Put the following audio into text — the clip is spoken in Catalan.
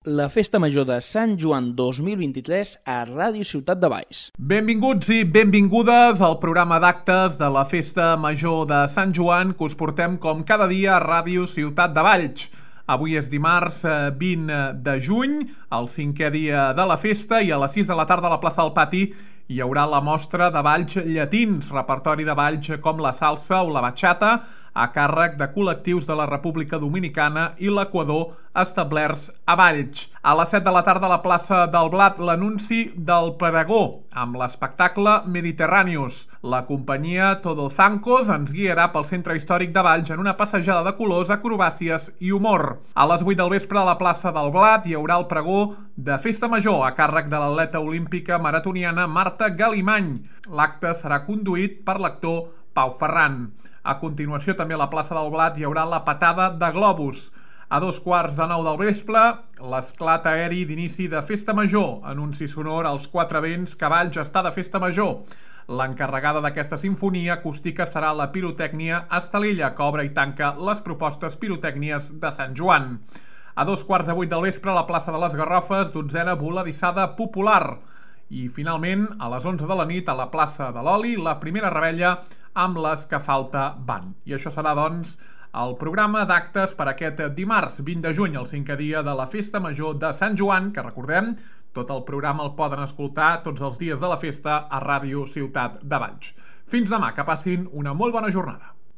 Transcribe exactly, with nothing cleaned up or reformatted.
La Festa Major de Sant Joan dos mil vint-i-tres a Ràdio Ciutat de Valls. Benvinguts i benvingudes al programa d'actes de la Festa Major de Sant Joan que us portem com cada dia a Ràdio Ciutat de Valls. Avui és dimarts vint de juny, el cinquè dia de la festa, i a les sis de la tarda a la plaça del Pati hi haurà la mostra de balls llatins, repertori de balls com la salsa o la bachata, a càrrec de col·lectius de la República Dominicana i l'Equador establerts a Valls. A les set de la tarda a la plaça del Blat, l'anunci del pregó, amb l'espectacle Mediterrànius. La companyia Todo Zancos ens guiarà pel centre històric de Valls en una passejada de colors, acrobàcies i humor. A les vuit del vespre a la plaça del Blat hi haurà el pregó de Festa Major a càrrec de l'atleta olímpica maratoniana Marta Galimany. L'acte serà conduït per l'actor Pau Ferran. A continuació, també a la plaça del Blat hi haurà la patada de globus. A dos quarts de nou del vespre, l'esclat aeri d'inici de Festa Major, anunci sonor als quatre vents que Valls està de Festa Major. L'encarregada d'aquesta sinfonia acústica serà la pirotècnia Estalella, que obre i tanca les propostes pirotècnies de Sant Joan. A dos quarts de vuit del vespre, a la plaça de les Garrofes, dotzena voladissada popular. I finalment, a les onze de la nit, a la plaça de l'Oli, la primera rebella amb les que falta van. I això serà, doncs, el programa d'actes per aquest dimarts vint de juny, el cinquè dia de la Festa Major de Sant Joan, que recordem, tot el programa el poden escoltar tots els dies de la festa a Ràdio Ciutat de Valls. Fins demà, que passin una molt bona jornada.